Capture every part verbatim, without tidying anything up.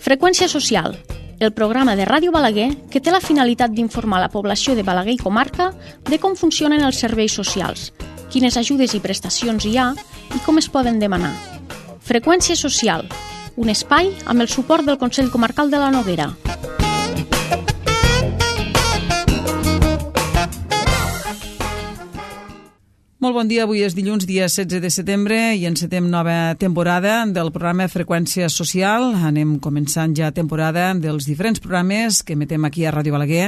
Freqüència social, el programa de Ràdio Balaguer que té la finalitat d'informar la població de Balaguer i comarca de com funcionen els serveis socials, quines ajudes i prestacions hi ha i com es poden demanar. Freqüència social, un espai amb el suport del Consell Comarcal de la Noguera. Molt bon dia, avui és dilluns, dia setze de setembre, i encetem nova temporada del programa Freqüència Social. Anem començant ja temporada dels diferents programes que emetem aquí a Ràdio Balaguer.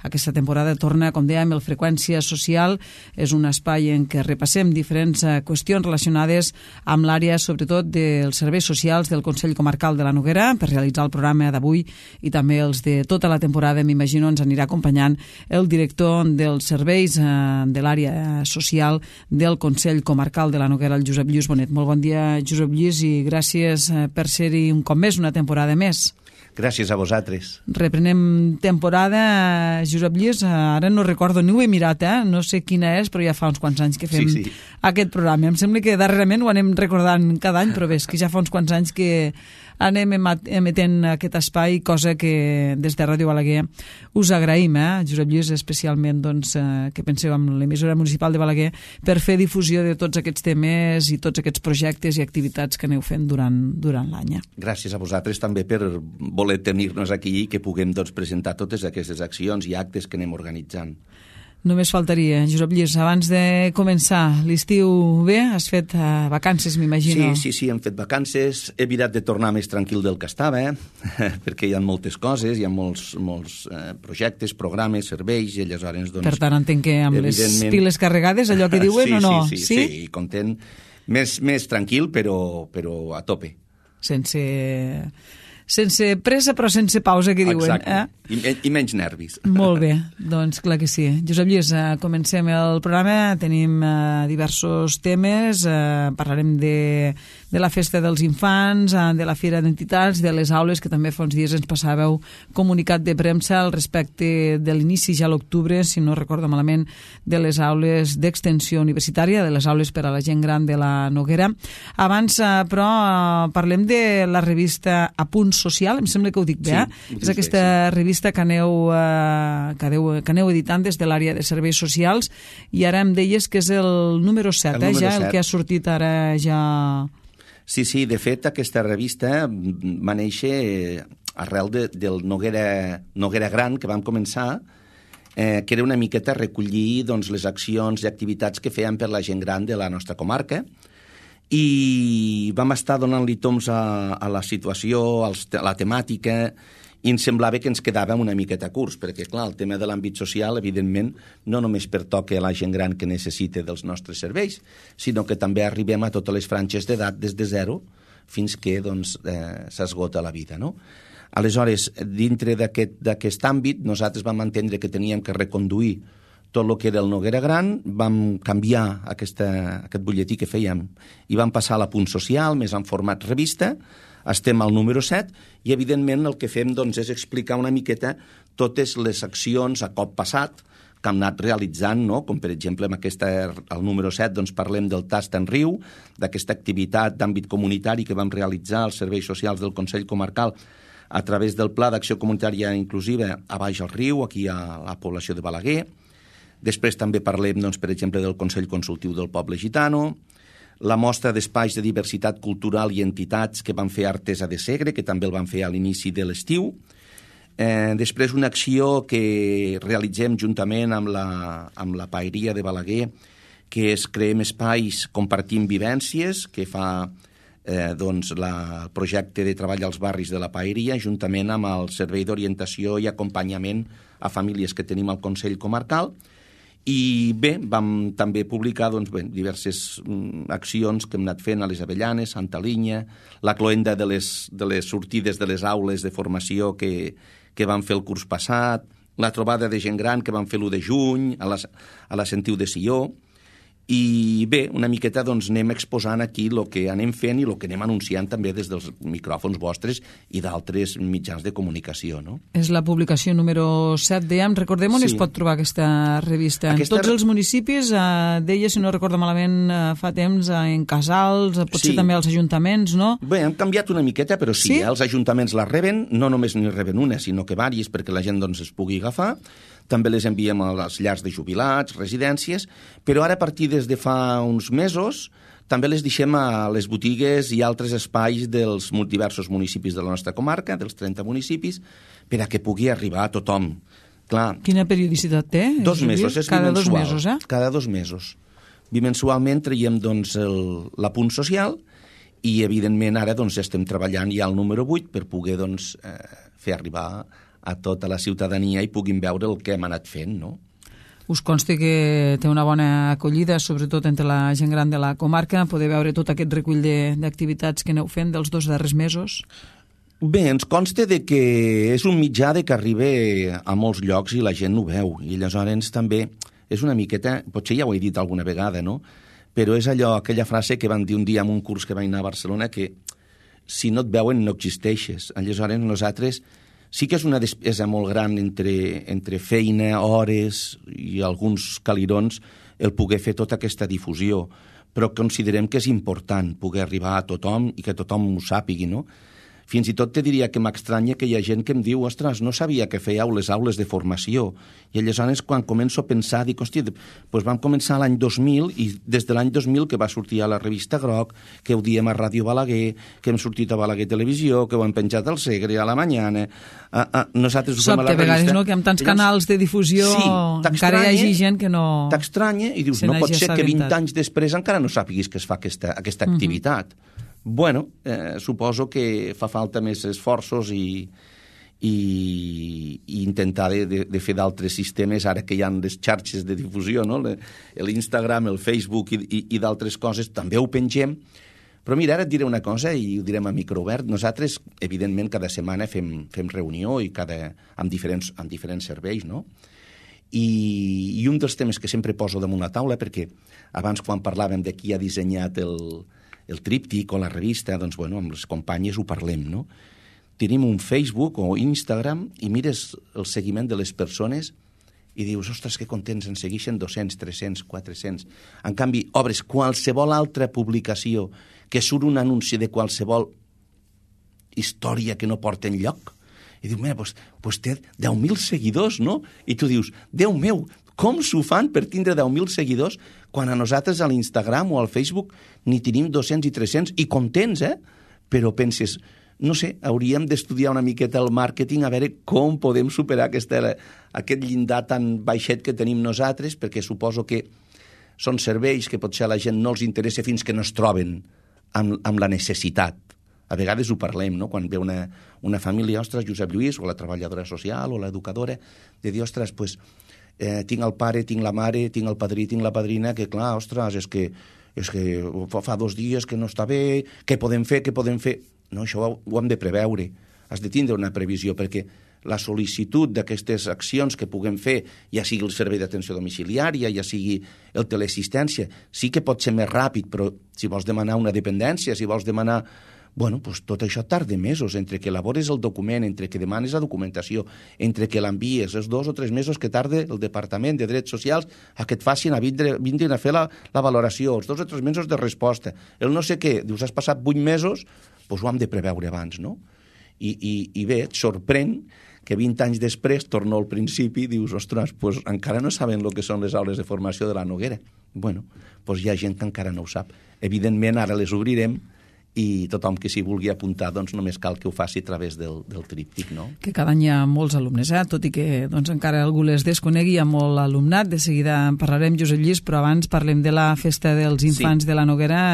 Aquesta temporada torna, com dèiem, el Freqüència Social. És un espai en què repassem diferents qüestions relacionades amb l'àrea, sobretot, dels serveis socials del Consell Comarcal de la Noguera, per realitzar el programa d'avui i també els de tota la temporada. M'imagino ens anirà acompanyant el director dels serveis eh, de l'àrea social del Consell Comarcal de la Noguera, el Josep Lluís Bonet. Molt bon dia, Josep Lluís, i gràcies per ser-hi un cop més, una temporada més. Gràcies a vosaltres. Reprenem temporada, Josep Lluís, ara no recordo, ni ho he mirat, eh? No sé quina és, però ja fa uns quants anys que fem sí, sí. aquest programa. Em sembla que darrerament ho anem recordant cada any, però bé, és que ja fa uns quants anys que anem emetent aquest espai, cosa que des de Ràdio Balaguer us agraïm, eh? Josep Lluís, especialment doncs, eh, que penseu en l'emissora municipal de Balaguer per fer difusió de tots aquests temes i tots aquests projectes i activitats que aneu fent durant, durant l'any. Gràcies a vosaltres també per voler tenir-nos aquí i que puguem doncs, presentar totes aquestes accions i actes que anem organitzant. Només faltaria, Josep Lluís, abans de començar l'estiu bé, has fet uh, vacances, m'imagino. Sí, sí, sí, hem fet vacances, he mirat de tornar més tranquil del que estava, eh? perquè hi ha moltes coses, hi ha molts, molts eh, projectes, programes, serveis, i aleshores... Doncs, per tant, entenc que amb les piles carregades, allò que diuen, sí, o no? Sí, sí, sí, sí, content, més, més tranquil, però, però a tope. Sense... sense pressa però sense pausa, que diuen. Exacte, eh? I, i menys nervis. Molt bé, doncs clar que sí. Josep Lluís, eh, comencem el programa, tenim eh, diversos temes, eh, parlarem de, de la festa dels infants, eh, de la Fira d'Entitats, de les aules, que també fa uns dies ens passàveu comunicat de premsa al respecte de l'inici ja a l'octubre, si no recordo malament, de les aules d'extensió universitària, de les aules per a la gent gran de la Noguera. Abans, eh, però, eh, parlem de la revista Apunt Social, em sembla que ho dic bé, eh? Sí, és aquesta bé, sí. revista que aneu, eh, que, aneu, que aneu editant des de l'àrea de serveis socials, i ara em deies que és el número set, el eh, número ja, set. El que ha sortit ara ja... Sí, sí, de fet aquesta revista va néixer arrel de, del Noguera, Noguera Gran, que vam començar, eh, que era una miqueta recollir doncs, les accions i activitats que feien per la gent gran de la nostra comarca, i vam estar donant-li toms a, a la situació, als, a la temàtica, i ens semblava que ens quedava una miqueta curts, perquè, clar, el tema de l'àmbit social, evidentment, no només pertoca a la gent gran que necessita dels nostres serveis, sinó que també arribem a totes les franges d'edat des de zero fins que doncs, eh, s'esgota la vida, no? Aleshores, dintre d'aquest, d'aquest àmbit, nosaltres vam entendre que teníem que reconduir tot el que era el Noguera Gran, vam canviar aquesta, aquest butlletí que fèiem i vam passar a l'Apunt Social, més en format revista, estem al número set, i evidentment el que fem doncs, és explicar una miqueta totes les accions a cop passat que hem anat realitzant, no? Com per exemple amb aquesta, al número set doncs, parlem del Tast en Riu, d'aquesta activitat d'àmbit comunitari que vam realitzar als serveis socials del Consell Comarcal a través del Pla d'Acció Comunitària Inclusiva a Baix al Riu, aquí a la població de Balaguer. Després també parlem, doncs, per exemple, del Consell Consultiu del Poble Gitano, la mostra d'espais de diversitat cultural i entitats que van fer Artesa de Segre, que també el van fer a l'inici de l'estiu. Eh, després una acció que realitzem juntament amb la, amb la Paeria de Balaguer, que és Creem Espais, Compartim Vivències, que fa eh, doncs, la, el projecte de treball als barris de la Paeria, juntament amb el Servei d'Orientació i Acompanyament a Famílies que tenim al Consell Comarcal. I bé, vam també publicar doncs, bé, diverses mm, accions que hem anat fent a les Avellanes, Santa Linya, la cloenda de les, de les sortides de les aules de formació que, que vam fer el curs passat, la trobada de gent gran que vam fer l'u de juny a la, a la Sentiu de Sió, I bé, una miqueta doncs, anem exposant aquí el que anem fent i el que anem anunciant també des dels micròfons vostres i d'altres mitjans de comunicació, no? És la publicació número set, dèiem. Recordem on Sí. es pot trobar aquesta revista. Aquesta- En tots els municipis, eh, deia, si no recordo malament, eh, fa temps, eh, en casals, eh, potser Sí. també als ajuntaments, no? Bé, han canviat una miqueta, però sí, Sí? eh? Els ajuntaments la reben, no només n'hi reben una, sinó que vàries perquè la gent doncs, es pugui agafar. També les enviem a les llars de jubilats, residències, però ara a partir des de fa uns mesos també les deixem a les botigues i altres espais dels diversos municipis de la nostra comarca, dels trenta municipis, per a que pugui arribar a tothom. Clar, Quina periodicitat té? dos Juli? mesos, és Cada dos bimensual. mesos, eh? Cada dos mesos. Bimensualment traiem doncs, el, l'apunt social i, evidentment, ara doncs, estem treballant ja al número vuit per poder doncs, eh, fer arribar a tota la ciutadania i puguin veure el que hem anat fent, no? Us consta que té una bona acollida, sobretot entre la gent gran de la comarca, poder veure tot aquest recull de- d'activitats que aneu fent dels dos darrers mesos? Bé, ens consta de que és un mitjà de que arriba a molts llocs i la gent ho veu. I aleshores també és una miqueta, potser ja ho he dit alguna vegada, no? Però és allò, aquella frase que van dir un dia en un curs que vaig anar a Barcelona, que si no et veuen no existeixes. Aleshores nosaltres sí que és una despesa molt gran entre, entre feina, hores i alguns calirons el poder fer tota aquesta difusió, però considerem que és important poder arribar a tothom i que tothom ho sàpigui, no? Fins i tot te diria que m'estranya que hi ha gent que em diu ostres, no sabia que fèieu les aules de formació. I aleshores, quan començo a pensar, dic, hòstia, doncs vam començar l'any dos mil i des de l'any dos mil que va sortir a la revista Groc, que ho diem a Ràdio Balaguer, que hem sortit a Balaguer Televisió, que ho hem penjat al Segre, a la Mañana... A, a, nosaltres ho fem Sap a la que a vegades, revista. no?, que amb tants Llavors, canals de difusió sí, encara hi hagi gent que no... T'estranya i dius, se no pot n'hagi ser que vint assabentat. anys després encara no sàpiguis que es fa aquesta, aquesta Mhm. activitat. Bueno, eh, suposo que fa falta més esforços i, i, i intentar de, de, de fer d'altres sistemes, ara que hi ha les xarxes de difusió, no? l'Instagram, el Facebook i, i, i d'altres coses, també ho pengem. Però mira, ara et diré una cosa i ho direm a microobert. Nosaltres, evidentment, cada setmana fem, fem reunió i cada, amb, diferents, amb diferents serveis, no? I, I un dels temes que sempre poso damunt la taula, perquè abans quan parlàvem de qui ha dissenyat el, el tríptic o la revista, doncs, bueno, amb les companyes ho parlem, no? Tenim un Facebook o Instagram i mires el seguiment de les persones i dius, ostres, que contents, en segueixen dos-cents, tres-cents, quatre-cents. En canvi, obres qualsevol altra publicació que surt un anunci de qualsevol història que no porta enlloc, i dius, mira, doncs, doncs té deu mil seguidors, no? I tu dius, Déu meu, com s'ho fan per tindre deu mil seguidors quan a nosaltres a l'Instagram o al Facebook n'hi tenim dos-cents i tres-cents i contents, eh? Però penses, no sé, hauríem d'estudiar una miqueta el màrqueting a veure com podem superar aquesta, aquest llindar tan baixet que tenim nosaltres, perquè suposo que són serveis que potser a la gent no els interessa fins que no es troben amb, amb la necessitat. A vegades ho parlem, no?, quan ve una, una família, ostres, Josep Lluís, o la treballadora social, o l'educadora, de dir, ostres, pues, eh, tinc el pare, tinc la mare, tinc el padrí, tinc la padrina, que clar, ostres, és que, és que fa dos dies que no està bé, què podem fer, què podem fer? No, això ho, ho hem de preveure. Has de tindre una previsió, perquè la sol·licitud d'aquestes accions que puguem fer, ja sigui el servei d'atenció domiciliària, ja sigui el teleassistència, sí que pot ser més ràpid, però si vols demanar una dependència, si vols demanar... Bueno, doncs tot això tarda mesos, entre que elabores el document, entre que demanes la documentació, entre que l'envies, els dos o tres mesos que tarda el Departament de Drets Socials a que et facin a vindre, vindrin a fer la, la valoració, els dos o tres mesos de resposta, el no sé què, dius, has passat vuit mesos, doncs ho hem de preveure abans, no? I, i, i bé, et sorprèn que vint anys després, torno al principi, dius, ostres, doncs encara no saben el que són les aules de formació de la Noguera. Bueno, doncs hi ha gent que encara no ho sap. Evidentment, ara les obrirem, i tothom que s'hi vulgui apuntar doncs només cal que ho faci a través del, del tríptic, no? Que cada any hi ha molts alumnes, eh? Tot i que doncs, encara algú les desconegui, hi ha molt alumnat. De seguida en parlarem, Josep Lluís, però abans parlem de la festa dels infants sí. de la Noguera.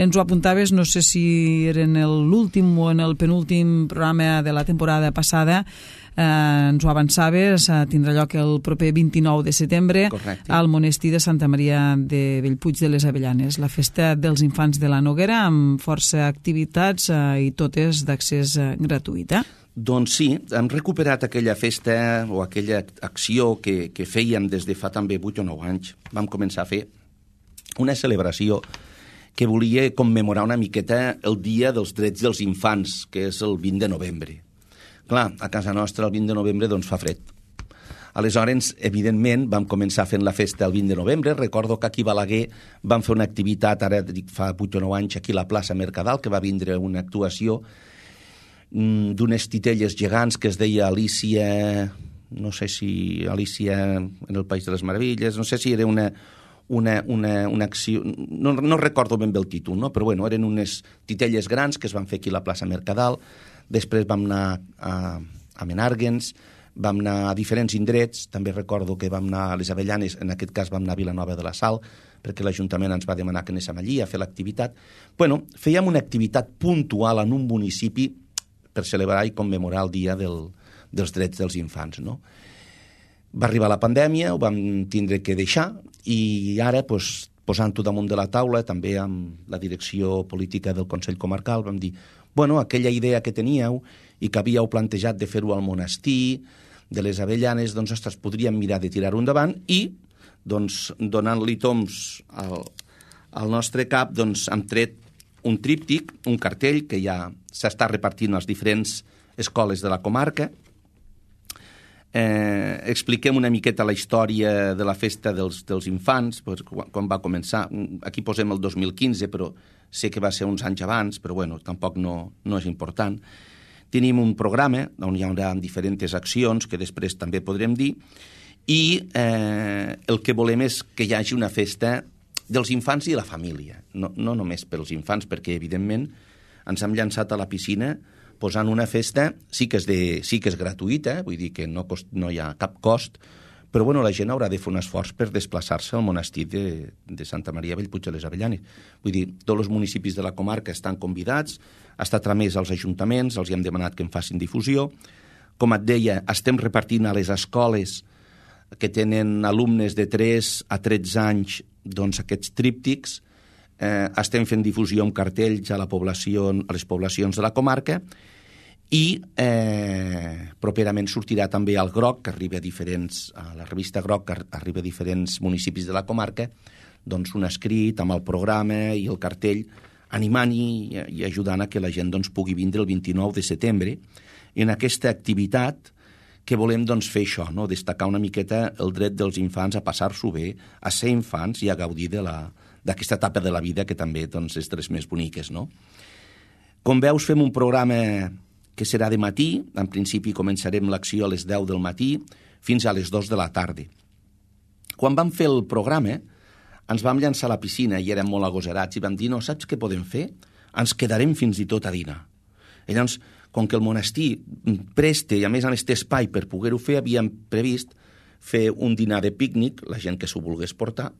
Ens ho apuntaves, no sé si era en l'últim o en el penúltim programa de la temporada passada, eh, ens ho avançaves, eh, tindrà lloc el proper vint-i-nou de setembre. Correcte. Al monestir de Santa Maria de Bellpuig de les Avellanes, la festa dels infants de la Noguera, amb força activitats eh, i totes d'accés eh, gratuït. Eh? Doncs sí, hem recuperat aquella festa o aquella acció que, que fèiem des de fa també vuit o nou anys. Vam començar a fer una celebració que volia commemorar una miqueta el Dia dels Drets dels Infants, que és el vint de novembre. Clar, a casa nostra el vint de novembre doncs fa fred. Aleshores, evidentment, vam començar fent la festa el vint de novembre. Recordo que aquí a Balaguer vam fer una activitat, ara dic fa vuit o nou anys, aquí a la plaça Mercadal, que va vindre una actuació d'unes titelles gegants que es deia Alicia, no sé si Alicia en el País de les Meravilles, no sé si era una, una, una, una acció, no, no recordo ben bé el títol, no? Però bueno, eren unes titelles grans que es van fer aquí a la plaça Mercadal. Després vam anar a, a Menàrguens, vam anar a diferents indrets, també recordo que vam anar a les Avellanes, en aquest cas vam anar a Vilanova de la Sal, perquè l'Ajuntament ens va demanar que anéssim allí a fer l'activitat. Bueno, fèiem una activitat puntual en un municipi per celebrar i commemorar el Dia del, dels Drets dels Infants, no? Va arribar la pandèmia, ho vam tindre que deixar, i ara, pues, posant-ho damunt de la taula, també amb la direcció política del Consell Comarcal, vam dir, bueno, aquella idea que teníeu i que havíeu plantejat de fer-ho al monestir, de les Avellanes, doncs, ostres, podríem mirar de tirar-ho endavant i, doncs, donant-li toms al, al nostre cap, doncs, hem tret un tríptic, un cartell que ja s'està repartint a les diferents escoles de la comarca. Eh, expliquem una miqueta la història de la festa dels, dels infants, pues, quan, quan va començar. Aquí posem el dos mil quinze, però sé que va ser uns anys abans, però bueno, tampoc no, no és important. Tenim un programa on hi haurà diferents accions, que després també podrem dir, i eh, el que volem és que hi hagi una festa dels infants i la família, no, no només pels infants, perquè, evidentment, ens hem llançat a la piscina posant una festa, sí que és, de, sí que és gratuïta, vull dir que no, cost, no hi ha cap cost, però bueno, la gent haurà de fer un esforç per desplaçar-se al monestir de, de Santa Maria Bellpuig de les Avellanes. Vull dir, tots els municipis de la comarca estan convidats, ha estat tramès als ajuntaments, els hi hem demanat que en facin difusió. Com et deia, estem repartint a les escoles que tenen alumnes de tres a tretze anys, doncs aquests tríptics, eh, estem fent difusió amb cartells a la població, a les poblacions de la comarca, i eh, properament sortirà també al Groc, que arriba a diferents, a la revista Groc, que arriba a diferents municipis de la comarca, doncs un escrit amb el programa i el cartell, animant i, i ajudant a que la gent doncs, pugui vindre el vint-i-nou de setembre en aquesta activitat que volem doncs, fer això, no? Destacar una miqueta el dret dels infants a passar-s'ho bé, a ser infants i a gaudir de la, d'aquesta etapa de la vida que també doncs, és de les més boniques. No? Com veus, fem un programa que serà de matí, en principi començarem l'acció a les deu del matí fins a les dues de la tarda. Quan vam fer el programa, ens vam llançar a la piscina i érem molt agosarats i vam dir, no, saps què podem fer? Ens quedarem fins i tot a dinar. I llavors, com que el monestir presta i a més a més té espai per poder-ho fer, havíem previst fer un dinar de pícnic, la gent que s'ho volgués portar,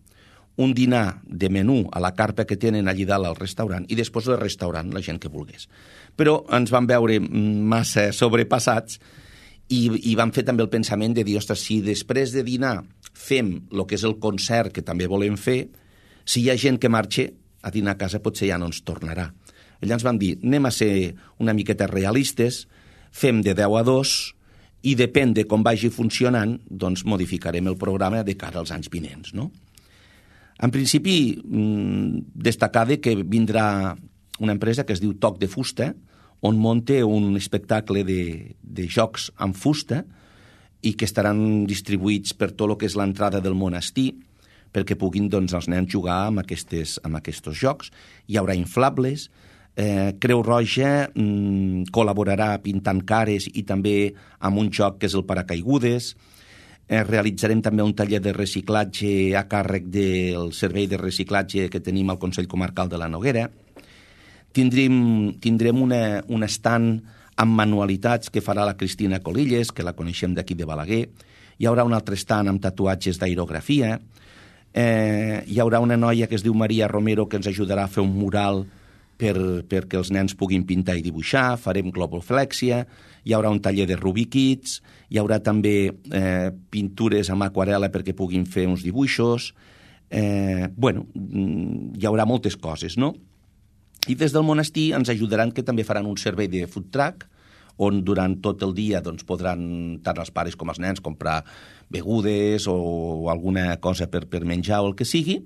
un dinar de menú a la carpa que tenen allí dalt al restaurant i després el restaurant, la gent que volgués. Però ens vam veure massa sobrepassats i, i vam fer també el pensament de dir, ostres, si després de dinar fem el que és el concert que també volem fer, si hi ha gent que marxa a dinar a casa potser ja no ens tornarà. Llavors ens vam dir, anem a ser una miqueta realistes, fem de deu a dos i depèn de com vagi funcionant, doncs modificarem el programa de cara als anys vinents, no? En principi, destacar que vindrà una empresa que es diu Toc de Fusta, on munta un espectacle de, de jocs amb fusta i que estaran distribuïts per tot el que és l'entrada del monestir, perquè puguin doncs, els nens jugar amb, aquestes, amb aquests jocs. Hi haurà inflables, eh, Creu Roja mm, col·laborarà pintant cares i també amb un joc que és el paracaigudes. Eh, realitzarem també un taller de reciclatge a càrrec del servei de reciclatge que tenim al Consell Comarcal de la Noguera. Tindrem, tindrem una, un estand amb manualitats que farà la Cristina Colilles, que la coneixem d'aquí de Balaguer. Hi haurà un altre stand amb tatuatges d'aerografia. Eh, hi haurà una noia que es diu Maria Romero que ens ajudarà a fer un mural per, perquè els nens puguin pintar i dibuixar. Farem globoflèxia. Hi haurà un taller de Rubik Kids. Hi haurà també eh, pintures amb aquarel·la perquè puguin fer uns dibuixos. Eh, bueno, hi haurà moltes coses, no? I des del monestir ens ajudaran que també faran un servei de food truck on durant tot el dia doncs, podran tant els pares com els nens comprar begudes o, o alguna cosa per, per menjar o el que sigui.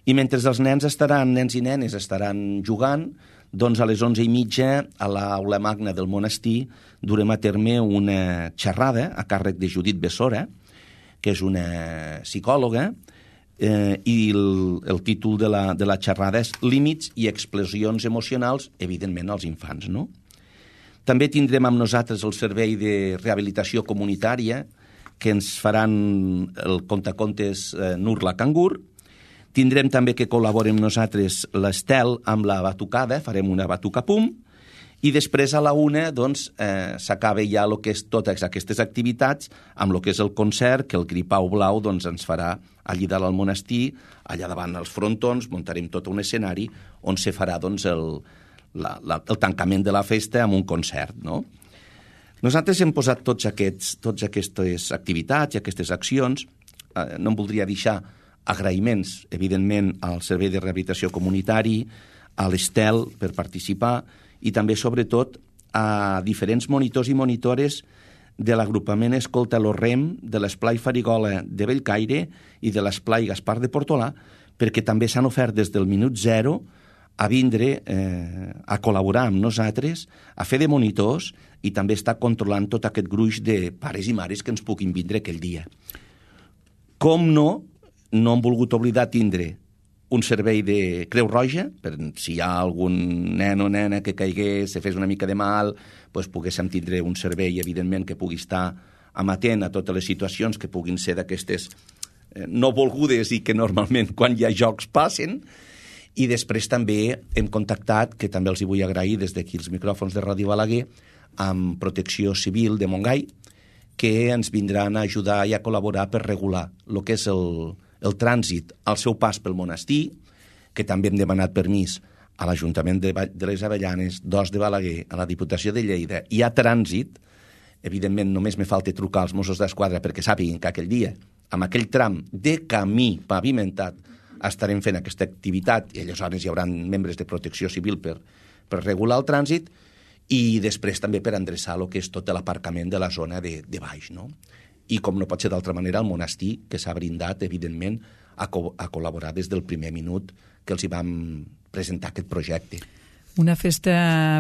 I mentre els nens estaran, nens i nenes estaran jugant, doncs a les onze i mitja a l'aula magna del monestir durem a terme una xerrada a càrrec de Judit Bessora, que és una psicòloga, eh, i el, el títol de la, de la xerrada és Límits i explosions emocionals, evidentment, als infants, no? També tindrem amb nosaltres el servei de rehabilitació comunitària, que ens faran el contacontes eh, Nurla Cangur. Tindrem també que col·laborem nosaltres l'Estel amb la batucada, farem una batuca pum, i després a la una doncs, eh, s'acaba ja el que és totes aquestes activitats amb el que és el concert, que el Gripau Blau doncs, ens farà allí dalt al monestir, allà davant els frontons, muntarem tot un escenari on se farà doncs, el, la, la, el tancament de la festa amb un concert, no? Nosaltres hem posat tots aquests, tots aquestes activitats i aquestes accions, eh, no em voldria deixar agraïments, evidentment, al Servei de Rehabilitació Comunitari, a l'Estel per participar i també, sobretot, a diferents monitors i monitores de l'agrupament Escolta lo Rem, de l'Esplai Farigola de Bellcaire i de l'Esplai Gaspar de Portolà, perquè també s'han ofert des del minut zero a vindre eh, a col·laborar amb nosaltres, a fer de monitors i també estar controlant tot aquest gruix de pares i mares que ens puguin vindre aquell dia. Com no, no hem volgut oblidar tindre un servei de Creu Roja, per si hi ha algun nen o nena que caigués, se fes una mica de mal, doncs poguéssim tindre un servei, evidentment, que pugui estar amatent a totes les situacions que puguin ser d'aquestes eh, no volgudes i que normalment quan hi ha jocs passen. I després també hem contactat, que també els hi vull agrair des d'aquí els micròfons de Ràdio Balaguer, amb Protecció Civil de Montgai, que ens vindran a ajudar i a col·laborar per regular el que és el, el trànsit al seu pas pel monestir, que també hem demanat permís a l'Ajuntament de, de les Avellanes, d'Os de Balaguer, a la Diputació de Lleida, i a trànsit. Evidentment, només me falta trucar als Mossos d'Esquadra perquè sàpiguen que aquell dia, amb aquell tram de camí pavimentat, estarem fent aquesta activitat i aleshores hi haurà membres de Protecció Civil per, per regular el trànsit i després també per endreçar el que és tot l'aparcament de la zona de, de baix, no? I com no pot ser d'altra manera, el monestir, que s'ha brindat, evidentment, a, co a col·laborar des del primer minut que els hi vam presentar aquest projecte. Una festa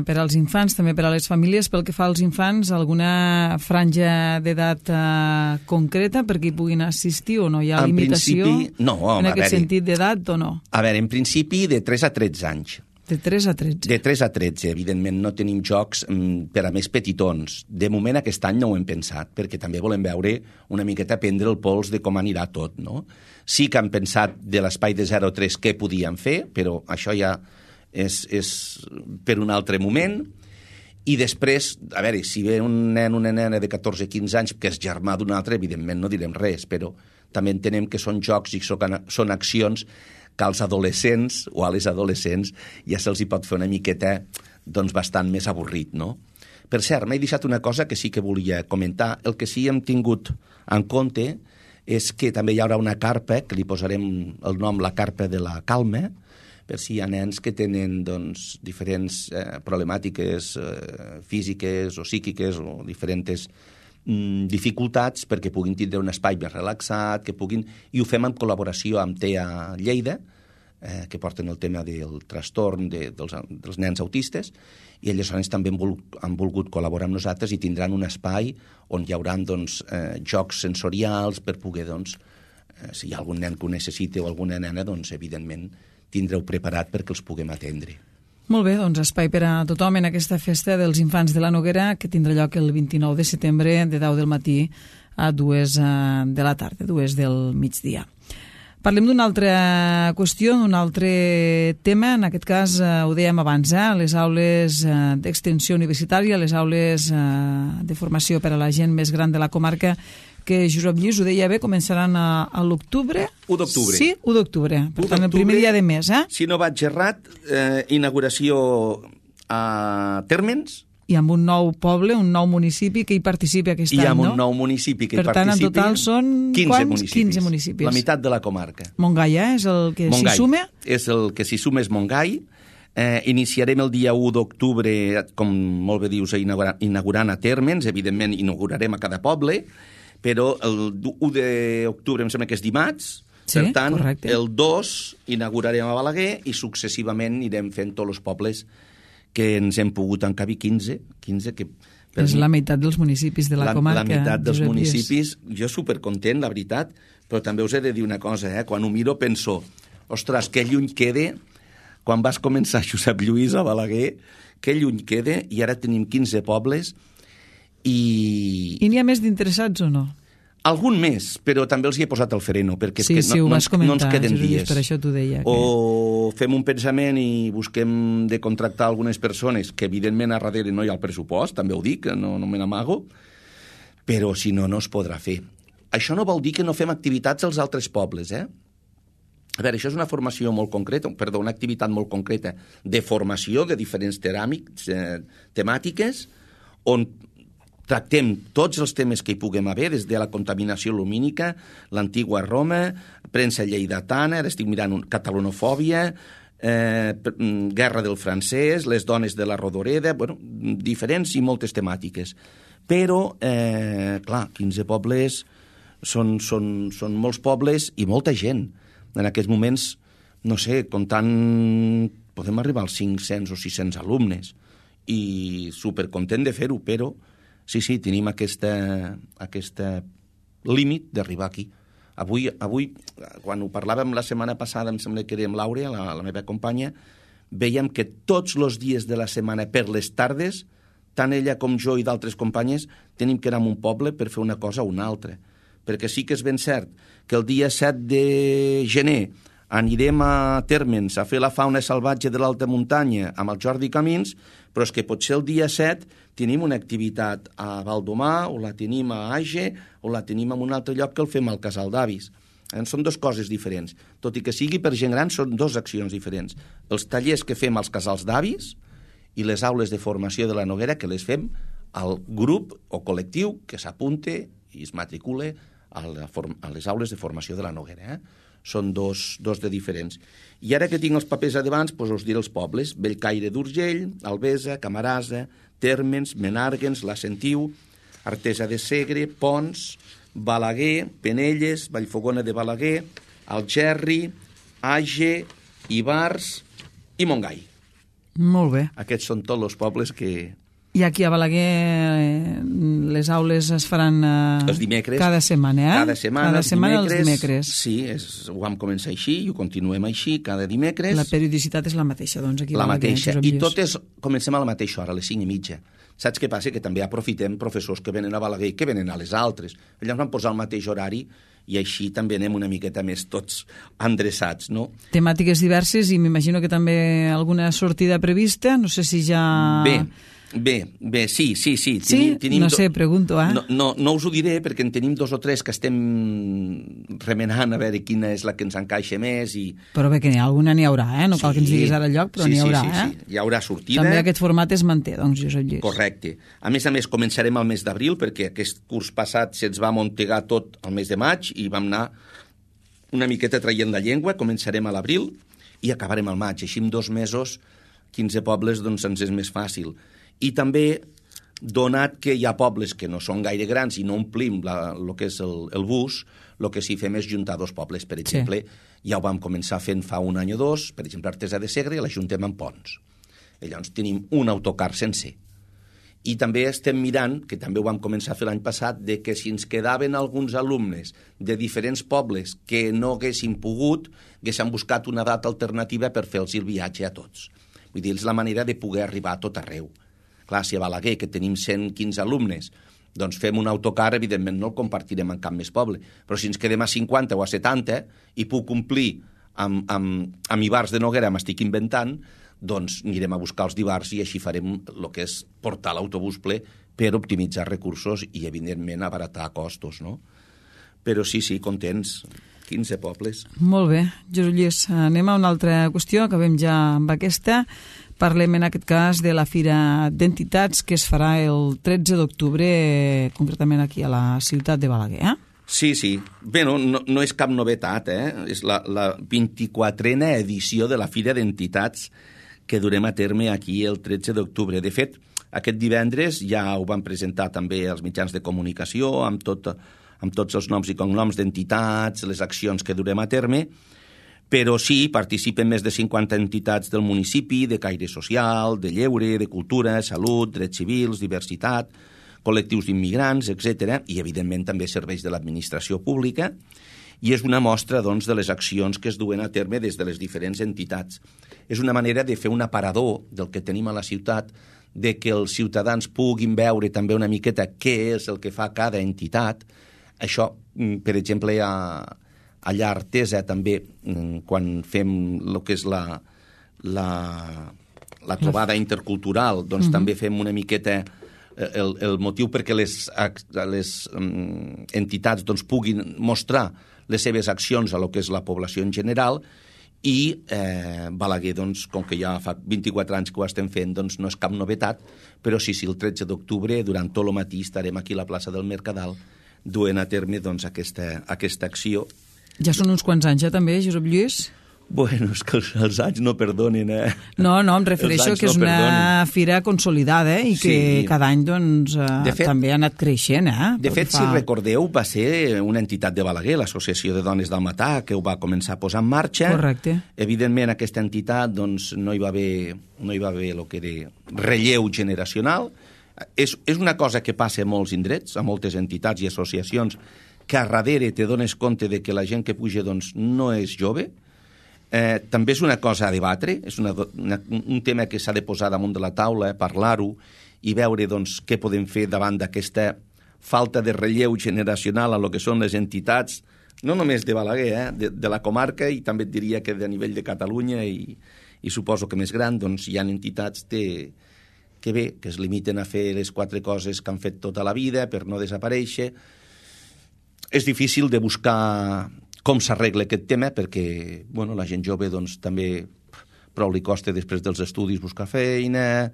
per als infants, també per a les famílies. Pel que fa als infants, alguna franja d'edat eh, concreta perquè hi puguin assistir o no? Hi ha en limitació no, home, en aquest sentit d'edat o no? A veure, en principi de tres a tretze anys. De tres a tretze. De tres a tretze, evidentment no tenim jocs mm, per a més petitons. De moment aquest any no ho hem pensat, perquè també volem veure una miqueta prendre el pols de com anirà tot, no? Sí que hem pensat de l'espai de zero a tres què podíem fer, però això ja és, és per un altre moment. I després, a veure, si ve un nen o una nena de catorze a quinze anys que és germà d'un altre, evidentment no direm res, però també entenem que són jocs i són accions que als adolescents o a les adolescents ja se'ls hi pot fer una miqueta doncs, bastant més avorrit, no? Per cert, m'he deixat una cosa que sí que volia comentar. El que sí hem tingut en compte és que també hi haurà una carpa, que li posarem el nom la carpa de la calma, per si hi ha nens que tenen doncs, diferents eh, problemàtiques eh, físiques o psíquiques o diferents mm, dificultats perquè puguin tindre un espai més relaxat, que puguin... I ho fem en col·laboració amb T E A Lleida, eh, que porten el tema del trastorn de, dels, dels nens autistes, i aleshores també han, vol, han volgut col·laborar amb nosaltres i tindran un espai on hi haurà doncs, eh, jocs sensorials per poder, doncs, eh, si hi ha algun nen que ho necessite o alguna nena, doncs, evidentment, tindreu preparat perquè els puguem atendre. Molt bé, doncs espai per a tothom en aquesta festa dels infants de la Noguera que tindrà lloc el vint-i-nou de setembre de deu del matí a dues de la tarda, dues del migdia. Parlem d'una altra qüestió, d'un altre tema, en aquest cas eh, ho dèiem abans, eh, les aules eh, d'extensió universitària, les aules eh, de formació per a la gent més gran de la comarca, que Josep Lluís ho deia bé, començaran a, a l'octubre. u d'octubre. Sí, u d'octubre. Per tant, el primer dia de mes, eh? Si no vaig errat, eh, inauguració a Térmens. I amb un nou poble, un nou municipi que hi participi aquest I any, no? I amb un nou municipi que per hi tant, participi. En total són quinze quants? municipis. quinze municipis. La meitat de la comarca. Montgai, eh? És el que s'hi suma? És el que s'hi suma és Montgai. Eh, iniciarem el dia u d'octubre, com molt bé dius, inaugurant, inaugurant a Térmens. Evidentment, inaugurarem a cada poble, però el u d'octubre em sembla que és dimarts, Sí, per tant, correcte. el dos inaugurarem a Balaguer i successivament anirem fent tots els pobles que ens hem pogut encabir, quinze, quinze que... És mi, la meitat dels municipis de la, la comarca. La meitat dels Josep municipis. Lluís. Jo supercontent, la veritat, però també us he de dir una cosa, eh? Quan ho miro penso, ostres, que lluny quede, quan vas començar Josep Lluís a Balaguer, que lluny quede, i ara tenim quinze pobles, i... I n'hi ha més d'interessats o no? Algun més, però també els hi he posat el freno, perquè sí, és que sí, no, no, comentar, no ens queden dies. Per això t'ho deia. Que... O fem un pensament i busquem de contractar algunes persones, que evidentment a darrere no hi ha el pressupost, també ho dic, no, no me n'amago, però si no, no es podrà fer. Això no vol dir que no fem activitats als altres pobles, eh? A veure, això és una formació molt concreta, perdó, una activitat molt concreta de formació de diferents teràmics, eh, temàtiques, on tractem tots els temes que hi puguem haver, des de la contaminació lumínica, l'antigua Roma, premsa lleidatana, ara estic mirant un, catalanofòbia, eh, guerra del francès, les dones de la Rodoreda, bueno, diferents i moltes temàtiques. Però, eh, clar, quinze pobles són, són, són molts pobles i molta gent. En aquests moments, no sé, comptant, podem arribar als cinc-cents o sis-cents alumnes i supercontent de fer-ho, però sí, sí, tenim aquesta, aquesta límit d'arribar aquí. Avui, avui, quan ho parlàvem la setmana passada, em sembla que era amb l'Àurea, la, la meva companya, veiem que tots els dies de la setmana per les tardes, tant ella com jo i d'altres companyes, tenim que anar a un poble per fer una cosa o una altra. Perquè sí que és ben cert que el dia set de gener anirem a Térmens a fer la fauna salvatge de l'alta muntanya amb el Jordi Camins, però és que potser el dia set tenim una activitat a Valdomar, o la tenim a Age, o la tenim en un altre lloc que el fem al Casal d'Avis. Eh? Són dues coses diferents. Tot i que sigui per gent gran, són dues accions diferents. Els tallers que fem als Casals d'Avis i les aules de formació de la Noguera que les fem al grup o col·lectiu que s'apunte i es matricule a, la form- a les aules de formació de la Noguera. Eh? Són dos, dos de diferents. I ara que tinc els papers a davant, doncs us diré els pobles. Bellcaire d'Urgell, Albesa, Camarasa, Térmens, Menàrguens, La Sentiu, Artesa de Segre, Pons, Balaguer, Penelles, Vallfogona de Balaguer, Algerri, Age, Ivars i Montgai. Molt bé. Aquests són tots els pobles que... I aquí a Balaguer les aules es faran eh, els dimecres, cada setmana, eh? Cada setmana, cada els setmana dimecres, els dimecres. Sí, és, ho vam començar així i ho continuem així, cada dimecres. La periodicitat és la mateixa, doncs, aquí a la Balaguer. mateixa, i totes comencem a la mateixa hora, a les cinc i mitja. Saps què passa? Que també aprofitem professors que venen a Balaguer i que venen a les altres. Llavors vam posar el mateix horari i així també anem una miqueta més tots endreçats, no? Temàtiques diverses i m'imagino que també alguna sortida prevista, no sé si ja... Bé, Bé, bé, sí, sí, sí. Sí? Tenim, tenim no sé, pregunto, eh? No, no, no us ho diré perquè en tenim dos o tres que estem remenant a veure quina és la que ens encaixa més i... Però bé, que n'hi ha alguna n'hi haurà, eh? No cal sí, que ens diguis ara el lloc, però sí, n'hi haurà, sí, sí, eh? Sí. Hi haurà sortida. També aquest format es manté, doncs, Josep Lluís. Correcte. A més a més, començarem al mes d'abril perquè aquest curs passat se'ns va amuntegar tot al mes de maig i vam anar una miqueta traient la llengua. Començarem a l'abril i acabarem al maig. Així en dos mesos, quinze pobles, doncs ens és més fàcil. I també... donat que hi ha pobles que no són gaire grans i no omplim el que és el, el bus, el que sí fem és juntar dos pobles. Per exemple, sí. Ja ho vam començar fent fa un any o dos, per exemple, Artesa de Segre, l'ajuntem amb Pons. I llavors tenim un autocar sencer. I també estem mirant, que també ho vam començar a fer l'any passat, de que si ens quedaven alguns alumnes de diferents pobles que no haguessin pogut, haguessin buscat una data alternativa per fer-los el viatge a tots. Vull dir, és la manera de poder arribar a tot arreu. Clar, si a Balaguer, que tenim cent quinze alumnes, doncs fem un autocar, evidentment no el compartirem en cap més poble. Però si ens quedem a cinquanta o a setanta i puc complir amb, amb, amb Ivars de Noguera, m'estic inventant, doncs anirem a buscar els d'Ivars i així farem el que és portar l'autobús ple per optimitzar recursos i, evidentment, abaratar costos, no? Però sí, sí, contents. quinze pobles. Molt bé. Josep Lluís, anem a una altra qüestió, acabem ja amb aquesta. Parlem en aquest cas de la Fira d'Entitats que es farà el tretze d'octubre, concretament aquí a la ciutat de Balaguer, eh? Sí, sí. Bé, no, no, no és cap novetat, eh? És la, la vint-i-quatrena edició de la Fira d'Entitats que durem a terme aquí el tretze d'octubre. De fet, aquest divendres ja ho van presentar també als mitjans de comunicació amb tot, amb tots els noms i cognoms d'entitats, les accions que durem a terme, però sí, participen més de cinquanta entitats del municipi, de caire social, de lleure, de cultura, salut, drets civils, diversitat, col·lectius d'immigrants, etcètera, i evidentment també serveis de l'administració pública, i és una mostra doncs, de les accions que es duen a terme des de les diferents entitats. És una manera de fer un aparador del que tenim a la ciutat, de que els ciutadans puguin veure també una miqueta què és el que fa cada entitat. Això, per exemple, a, allà a Artesa també, quan fem el que és la, la, la trobada intercultural, doncs uh-huh. també fem una miqueta el, el motiu perquè les, les um, entitats doncs, puguin mostrar les seves accions a lo que és la població en general, i eh, Balaguer, doncs, com que ja fa vint-i-quatre anys que ho estem fent, doncs no és cap novetat, però sí, sí, el tretze d'octubre, durant tot el matí, estarem aquí a la plaça del Mercadal duent a terme doncs, aquesta, aquesta acció. Ja són uns quants anys, ja, també, Josep Lluís? Bueno, és que els, els anys no perdonen, eh? No, no, em refereixo que és no una perdonen. Fira consolidada i que sí. cada any doncs, eh, fet, també ha anat creixent. Eh? De fet, fa... si recordeu, va ser una entitat de Balaguer, l'Associació de Dones del Matà, que ho va començar a posar en marxa. Correcte. Evidentment, aquesta entitat doncs, no hi va haver, no hi va haver el que era relleu generacional. És, és una cosa que passa a molts indrets, a moltes entitats i associacions, que a darrere te dones compte de que la gent que puja doncs, no és jove. Eh, també és una cosa a debatre, és una, una, un tema que s'ha de posar damunt de la taula, eh, parlar-ho i veure doncs, què podem fer davant d'aquesta falta de relleu generacional a lo que són les entitats, no només de Balaguer, eh, de, de la comarca, i també et diria que de nivell de Catalunya i, i suposo que més gran, doncs hi ha entitats de, que bé, que es limiten a fer les quatre coses que han fet tota la vida per no desaparèixer. És difícil de buscar com s'arregla aquest tema, perquè bueno, la gent jove doncs, també prou li costa després dels estudis buscar feina.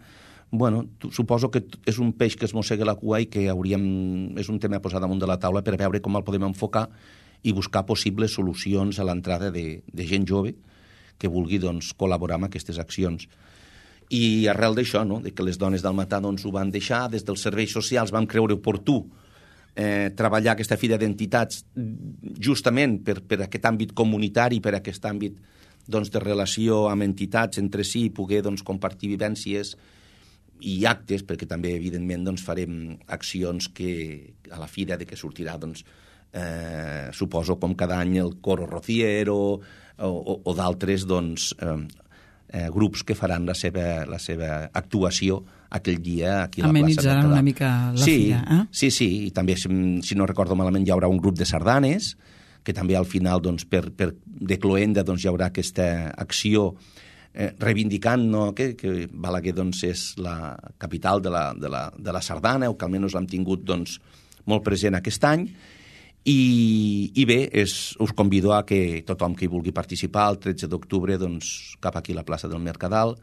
Bueno, suposo que és un peix que es mossega la cua i que hauríem, és un tema a posar damunt de la taula per veure com el podem enfocar i buscar possibles solucions a l'entrada de, de gent jove que vulgui doncs, col·laborar amb aquestes accions. I arrel d'això, no? De que les dones del Matà doncs, ho van deixar, des dels serveis socials vam creure oportú Eh, treballar aquesta fira d'entitats justament per, per aquest àmbit comunitari, per aquest àmbit doncs, de relació amb entitats entre si, poder doncs, compartir vivències i actes, perquè també evidentment doncs, farem accions que a la fira de que sortirà doncs, eh, suposo com cada any el Coro Rociero o, o, o d'altres doncs, eh, eh, grups que faran la seva, la seva actuació aquell dia aquí a la plaça del Mercadal. Amenitzaran una mica la sí, fira, eh? Sí, sí, i també, si, si no recordo malament, hi haurà un grup de sardanes, que també al final, doncs, per, per de cloenda, doncs, hi haurà aquesta acció eh, reivindicant no, que, que Balaguer doncs, és la capital de la, de la, de la sardana, o que almenys l'hem tingut doncs, molt present aquest any, i, i bé, és, us convido a que tothom que hi vulgui participar el tretze d'octubre doncs, cap aquí a la plaça del Mercadal,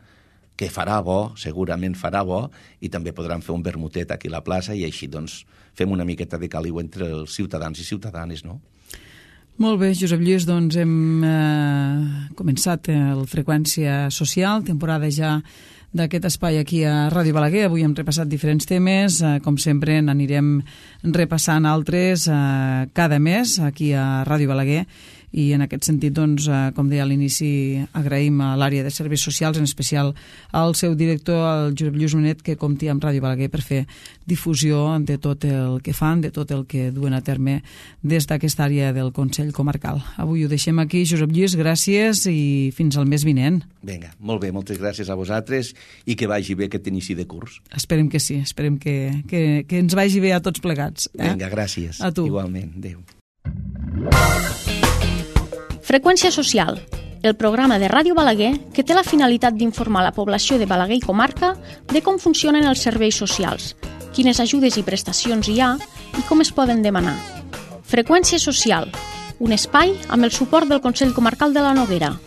que farà bo, segurament farà bo, i també podran fer un vermutet aquí a la plaça i així doncs, fem una miqueta de caliu entre els ciutadans i ciutadanes, no? Molt bé, Josep Lluís, doncs hem eh, començat el Freqüència Social, temporada ja d'aquest espai aquí a Ràdio Balaguer. Avui hem repassat diferents temes, eh, com sempre n'anirem repassant altres eh, cada mes aquí a Ràdio Balaguer. I en aquest sentit, doncs, eh, com deia a l'inici, agraïm a l'àrea de serveis socials, en especial al seu director, el Josep Lluís Monet, que compti amb Ràdio Balaguer per fer difusió de tot el que fan, de tot el que duen a terme des d'aquesta àrea del Consell Comarcal. Avui ho deixem aquí. Josep Lluís, gràcies i fins al mes vinent. Vinga, molt bé, moltes gràcies a vosaltres i que vagi bé aquest inici de curs. Esperem que sí, esperem que, que, que ens vagi bé a tots plegats. Eh? Vinga, gràcies. A tu. Igualment, adéu. Freqüència Social, el programa de Ràdio Balaguer que té la finalitat d'informar la població de Balaguer i comarca de com funcionen els serveis socials, quines ajudes i prestacions hi ha i com es poden demanar. Freqüència Social, un espai amb el suport del Consell Comarcal de la Noguera.